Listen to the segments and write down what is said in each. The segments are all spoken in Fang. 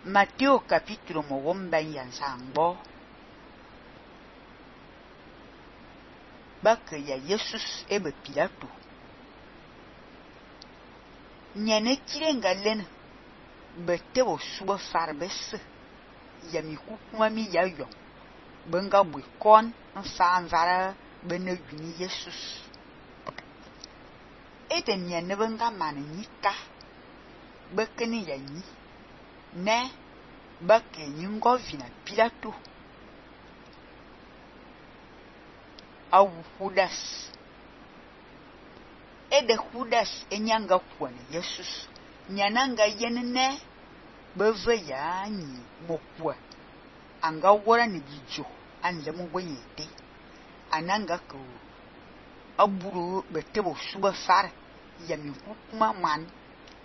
Matteo capítulo mogomba yanzangbo. Bak ya Jesus ebe Pilato. Nyane kirenga len betebo subo farbes ya mi kukuma mi ya yong. Benga bwikon nfa nvara bene guni Jesus. Ede nyane benga mane nyika bekeni ya nyi. Ne bake nyingo vina Pilato. Awu Judas. Ede Judas enyanga kwane Jesus. Nyananga yenene beve ya nyi mokwa. Anga wora ni bijo anlemu wenyete. Ananga ko aburu betebo suba far ya mi kukuma man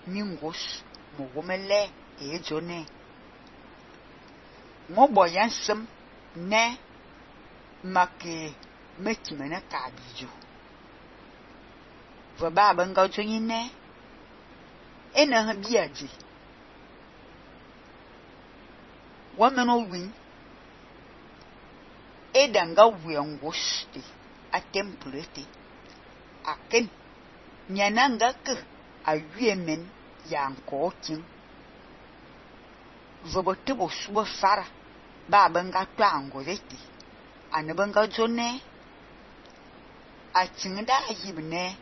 mingos mogomele ejone. Ngobo yansem ne make mekimene kabijo. Vaba benga jonyi ne ena biaji. Wameno win edanga wiangoste a templete aken nyananga ke ayuemen yanko kin. Vobotebo subo fara ba benga to angoleti ane benga jone a chinda yibne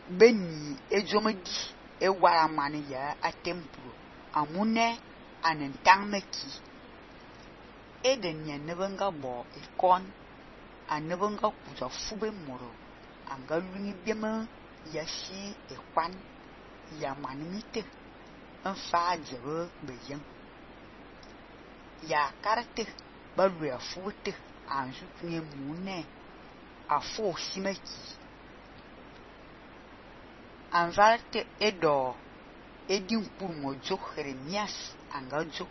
beni ejomedi ewara mani ya a templo amune anentangmeki eden nyane benga bo ikon ane benga kuja fube moro anga luni biema yashi ekwan ya manimite nfa jebe beyen ya karate balu ya fute anju kunye mune afo simeki anvarte edo edin kurmo jo Jeremias angajo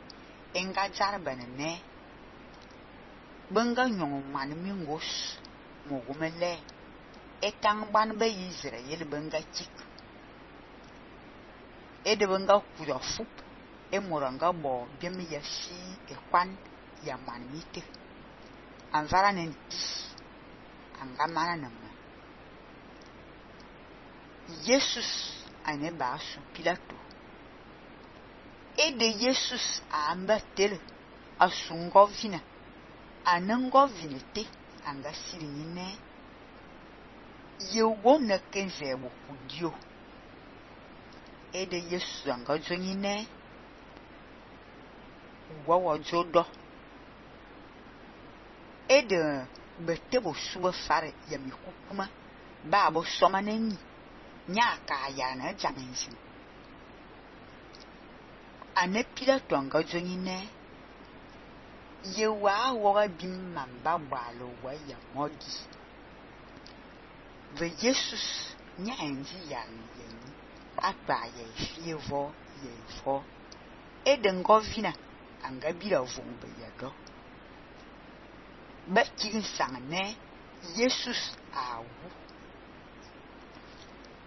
enga jarbanene benga nyong manimingos mogomele etang ban be Israel benga chik ede benga kuja fup emoranga bo biemi yashi ekwan ya manmite anvara nenti anga mana nama Jesus ane basu Pilato ede Jesus amba tele asungo vina anengo vinete anga sirinine yewo na kenzebo kudio ede Jesus anga jonyine wawo jodo ede betebo suba fare ya mi kukuma babo somanenyi nyaka ya na jamensin ane Pilato anga jonyine yewa woga bim mamba balo wa ya modi ve Jesus nyanzi ya yenyi atwa ya fievo yefo ede ngovina anga bila vumbe yado bakin sangne Jesus awu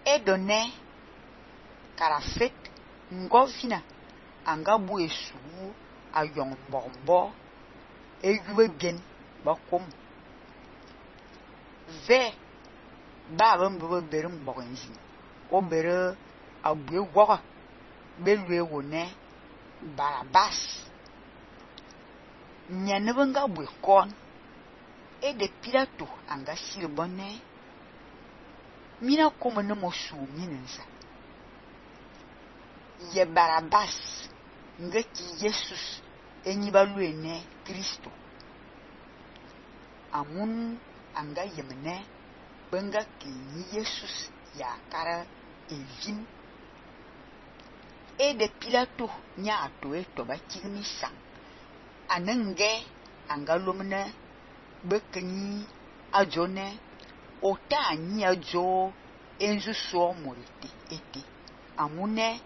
edone karafet ngovina anga buesu ayong bombo eyube bien bakom ve ba mbo berum bogenzi obere abue woga belwe wone Barabas nyane benga bwe kon ede Pilato anga silbone mina komene mosu minensa ye Barabas ngeki Jesus enyibaluene Kristo amun anga yemene benga kinyi Jesus ya kara evin ede Pilato nya ato eto bakirmi sang anenge anga lomne bekenyi ajone ota anyi ajo enzu so morite ete amune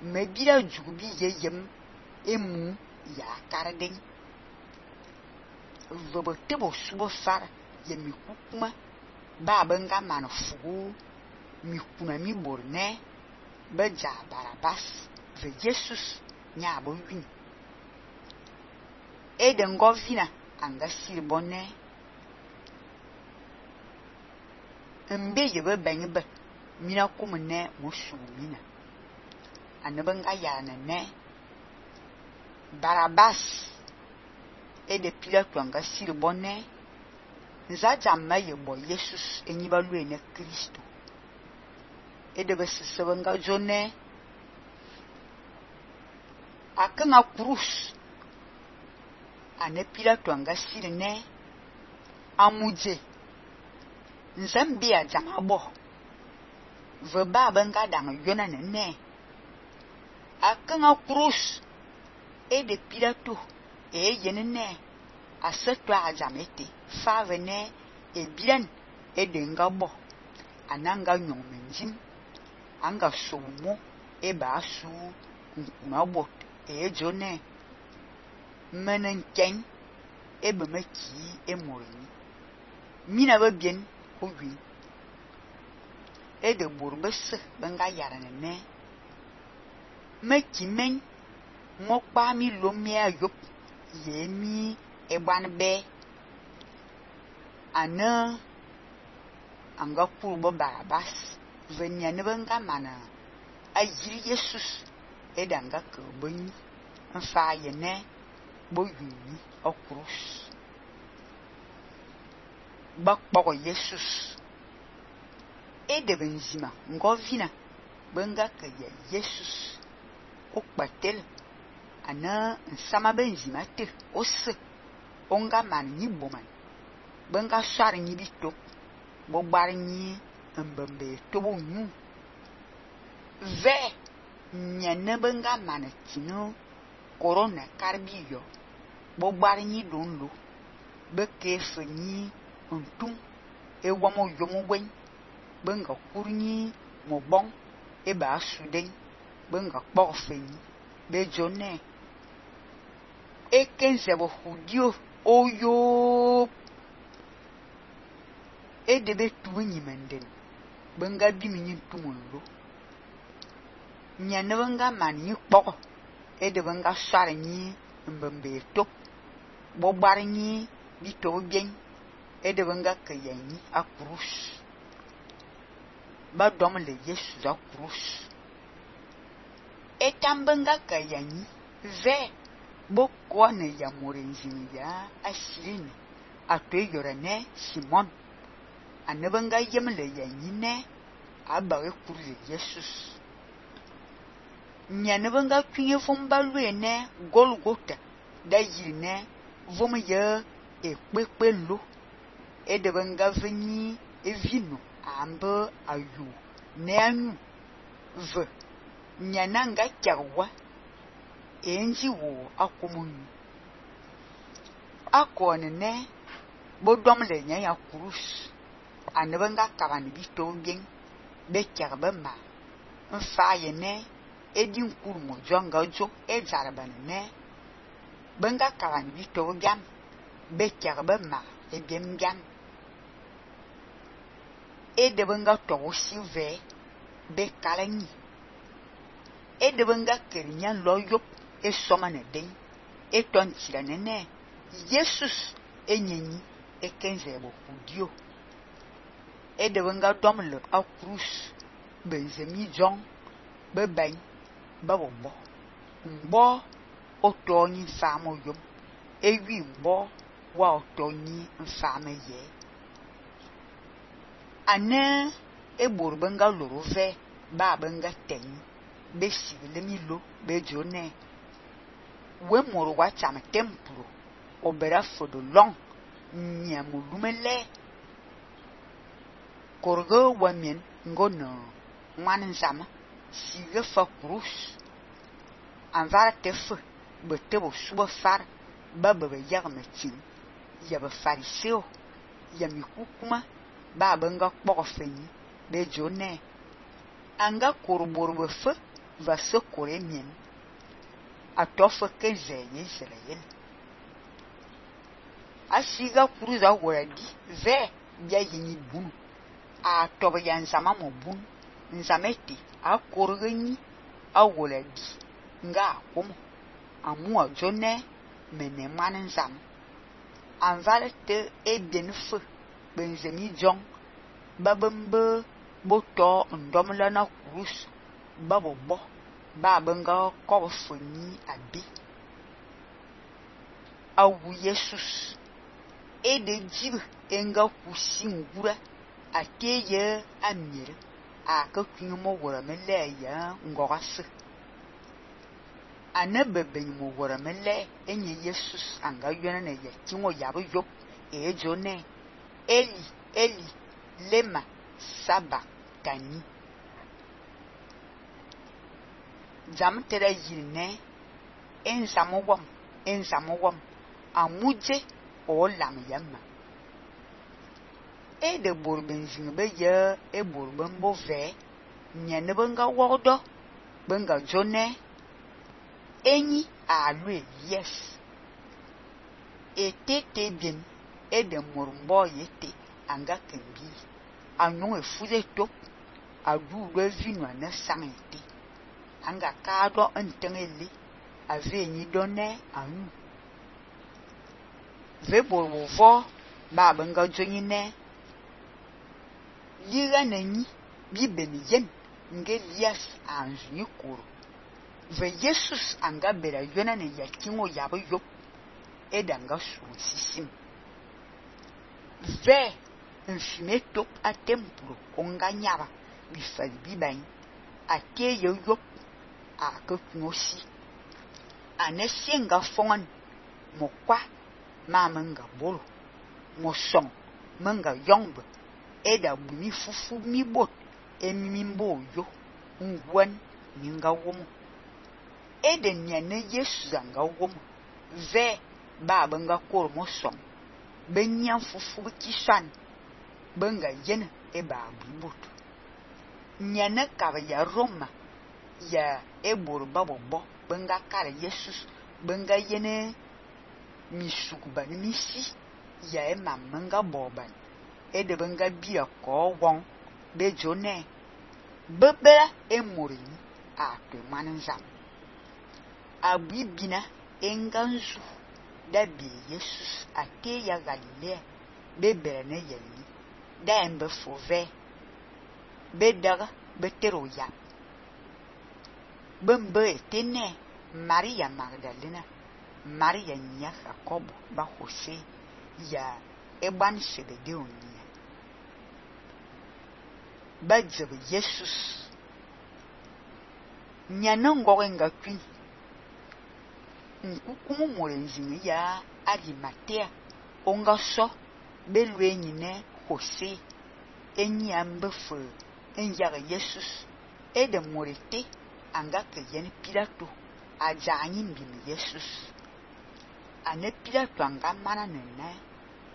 mebira jugubi yeyem emu ya karden vobotebo subo far ye mi kukuma ba benga manfugu mi kuna mi borne beja Barabas ve Jesus nya bo win de ngovina anga sir bonne mbe ye be benbe mina kumne musu mina anabanga yana ne Barabas de Pilato anga sir bonne nzajama ye bo Jesus enyiba lu ene Kristo de besebanga jone akanga cruz ane Pilato anga sir ne amuje nzambia jamabo veba banga dang yona ne akanga cruz de Pilato yenene aseto ajamete favene bilan de ngabo ananga nyongmenjim anga somo basu nkunabot jone menenken bemeki morini mina ba bien owi de borbes banga yarane meki men mokpa mi lomia yop yemi egbanbe ana anga kurbo Barabas venia ne banga mana ayiri Jesus danga kebonyi mfa yene boyuni okrus bakpoko Jesus de benzima ngovina banga ke Jesus okpatel ana nsama benzima te ose onga man ni boman banga shar ni bitok bo gbar ni mbembe to bo nyu ve nyane banga man tino corona karbiyo bo gbar ni donlo be kefe ni ntum wamo yomo gwen banga kurni mo bon ba suden banga kpofe ni be jone ekenze bo hudio oyo debe tuwenyi menden banga bimini tumulo nyane banga mani kpoko de banga sare ni mbembe tok bo gbar ni bito bien de banga kayanyi akrus ba dom le Jesus akrus etambanga kayanyi ve boko ne ya morenjini ya ashirini atoyorane Simon anabanga yemle yanyi ne abare kurle Jesus nyanabanga kwinye fombalwe ne Golgota da yirine vom ye ekpekpelo de banga veni evino ambe ayu ne anu ve nyananga kyawa enji wo akomunu akone ne bodom le nya ya krus anabanga kabani bito bien be kyarba ma mfa ye ne edin kurmo jonga jo jarabane ne banga kabani bito gam be kyarba ma bien gam de banga to sive be kalani de banga kerinya loyop somane den tontira ne Jesus enyenyi kenze bo kudio de banga domle a cruz benzemi jon beban babombo mbo otoni famo yom ewi mbo wa otoni mfame ye ane ebor banga lorove ba banga ten be sibile milo be jone we moro wa cham templo obera fodo long nyamulumele korgo wamen ngono ngwan zama siga fa krus anvara tefu betebo suba far baba be yagmetin ya be fariseo ya mikukuma ba banga kpokofeni be jone anga korbor be fe va se koremien atofa kenze Israel asiga kuruza woradi ve bia yini bun a toba yanzama mo bun nzameti a korgani a woradi nga akomo amu ajone mene man nzam. Anvale te bien feu, benzemi jong, babembe boto ndomla na kurus, babobo, babenga kobo feni abi. Awu Jesus, de jib enga kusi ngura, ateye amire, a kakumo wora mele ya ngorase. Anebe benimo wora mele enye Jesus anga yona ne ye tingo yabo yo jone. Eli, Eli, lema sabachthani. Jam tere yine enzamowam amuje o lam yama. De borben zingbe ye borben bove nyane benga wodo benga jone enyi alwe yes. Tete bien de morumbo yete anga kembi anyon fuze top adu vino na sangete anga kado entengeli ave ni donne anu ve borwo ba benga jonyine liga nani bi beniyen nge lias anjuni kuro ve Jesus anga bera yona ne yakingo yabo yo edanga susisim ve nfime top a templo onganyaba bifali bibain ate yo a kokunosi anesenga fongan mokwa mamenga bolo mosong menga yongbe eda bumi fufu mi bot emimbo yo ngwan ninga womo ede nyane Yesu anga womo ve ba benga kor mosong benyan fufu kisan benga yen ba bibot nyane ka ya Roma ya ebor babobo benga kare Jesus benga yene misukban misi ya mamenga boban ede benga bia ko won be jone bebera emorini a to manzam abibina enganzu da be Jesus ate ya Galilea bebere ne yeli da embe fove bedaga betero ya bembe etene Maria Magdalena Maria nya Jacobo ba Jose ya eban sebede onia ba jebe Jesus nya nango nga kwi nkukumu morenzi ya Arimatea onga so belwe nyine Jose enyi ambefu enyaga Jesus ede morete anga keyen Pilato ajanyi mbimi Jesus ane Pilato anga mana nene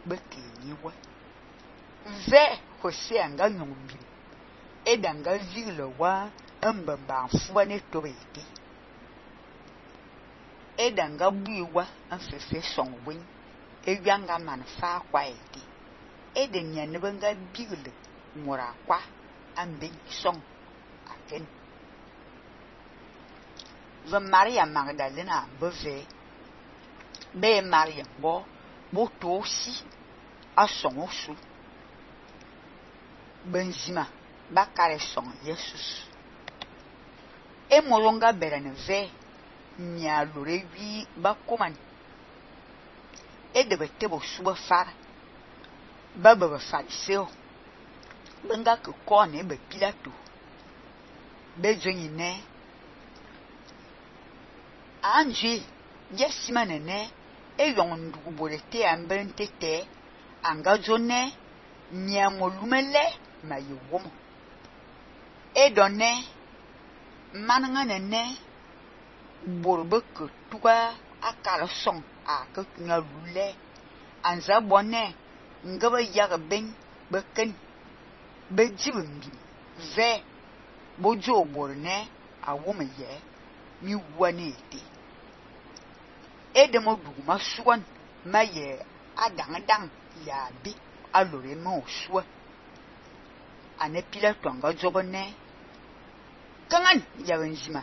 bekenyiwe ve Jose anga nyombi ede anga zile wa mbamba mfuwa ne tobete ede anga buiwa mfefe songwen ewianga manfa kwa ete ede nyane benga bigile mora kwa ambe song aken ve Maria Magdalena beve be Maria bo to si asong osu benzima bakare song Jesus molonga berane ve nya lorewi bakoman de betebo suba far baba fariseo benga ke kone be Pilato be jonyine anje yesimanene eyondu bolete ambentete anga jone nya molumele mayewomo edone mananganene borbe ke tuga akala song a ke nga lule anza bone ngaba yaga ben beken bejibimbi ve bojo borne a woman ye mi wanete edemo duguma suwan maye adang ya bi alore mo suwa ane Pilato anga jobone kangan ya benzima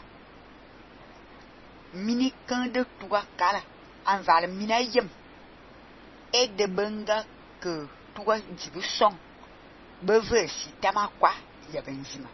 mini kan de tuga kala anzal mina yem de benga que tuga di be song be ve si tama kwa ya benzima